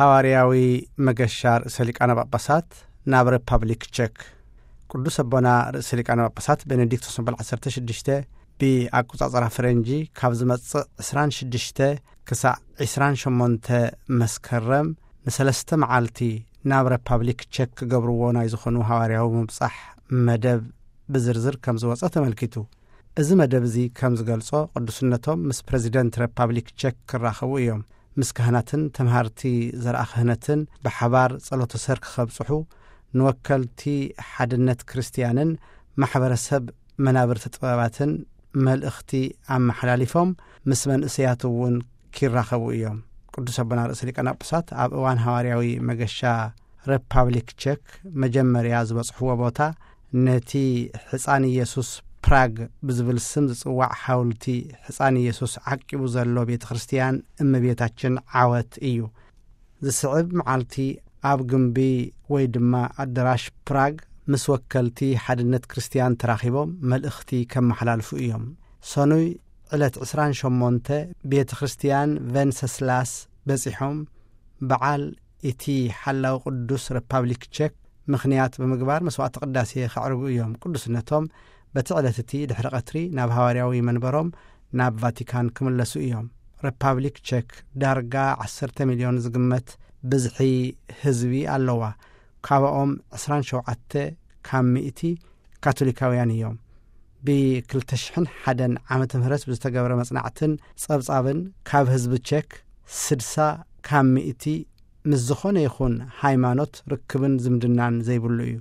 ሃዋርያዊ መገሻ ርእሰ ሊቃነ ጳጳሳት ናብ ሪፓብሊክ ቸክ። ቅዱስ ኣቦና ርእሰ ሊቃነ ጳጳሳት ቤኔዲክቶስ መበል ዓሰርተ ሽዱሽተ፣ ብኣቆጻጽራ ፈረንጂ ካብ ዝመጽእ ዕስራን ሽዱሽተ ክሳዕ ዕስራን ሸሞንተ መስከረም ንሰለስተ መዓልቲ ናብ ሪፓብሊክ ቸክ ክገብርዎ ናይ ዝኾኑ ሃዋርያዊ ምብጻሕ መደብ ብዝርዝር ከም ዝወጸ ተመልኪቱ። እዚ መደብ እዚ ከም ዝገልጾ፣ ቅዱስነቶም ምስ ፕረዚደንት ሪፓብሊክ ቸክ ክራኸቡ እዮም። ምስ ካህናትን ተምሃርቲ ዘርኣ ክህነትን ብሓባር ጸሎተ ሰርክ ከብጽሑ፣ ንወከልቲ ሓድነት ክርስትያንን ማሕበረሰብ መናብርቲ ጥበባትን መልእኽቲ ኣመሓላሊፎም፣ ምስ መንእሰያት እውን ኪራኸቡ እዮም። ቅዱስ ኣቦና ርእሰ ሊቃነ ጳጳሳት ኣብ እዋን ሃዋርያዊ መገሻ ሪፓብሊክ ቸክ መጀመርያ ዝበጽሕዎ ቦታ፣ ነቲ ሕፃን ኢየሱስ ፕራግ ብዝብል ስም ዝጽዋዕ ሓውልቲ ሕፃን ኢየሱስ ዓቂቡ ዘሎ ቤተ ክርስትያን እመቤታችን ዓወት እዩ። ዝስዕብ መዓልቲ ኣብ ግምቢ ወይ ድማ ኣደራሽ ፕራግ ምስ ወከልቲ ሓድነት ክርስትያን ተራኺቦም መልእኽቲ ከመሓላልፉ እዮም። ሰኑይ ዕለት ዕስራን ሸሞንተ ቤተ ክርስትያን ቬንሰስላስ በጺሖም፣ በዓል እቲ ሓላዊ ቅዱስ ሪፓብሊክ ቸክ ምኽንያት ብምግባር መስዋዕተ ቅዳሴ ከዕርጉ እዮም። ቅዱስነቶም በቲ ዕለት እቲ ድሕሪ ቀትሪ ናብ ሃዋርያዊ መንበሮም ናብ ቫቲካን ክምለሱ እዮም። ሪፓብሊክ ቸክ ዳርጋ ዓሰርተ ሚልዮን ዝግመት ብዝሒ ህዝቢ ኣለዋ። ካብኦም ዕስራን ሸውዓተ ካብ ሚእቲ ካቶሊካውያን እዮም። ብ ክልተ ሽሕን ሓደን ዓመተ ምህረት ብዝተገብረ መጽናዕትን ጸብጻብን፣ ካብ ህዝቢ ቸክ ስድሳ ካብ ሚእቲ ምስ ዝኾነ ይኹን ሃይማኖት ርክብን ዝምድናን ዘይብሉ እዩ።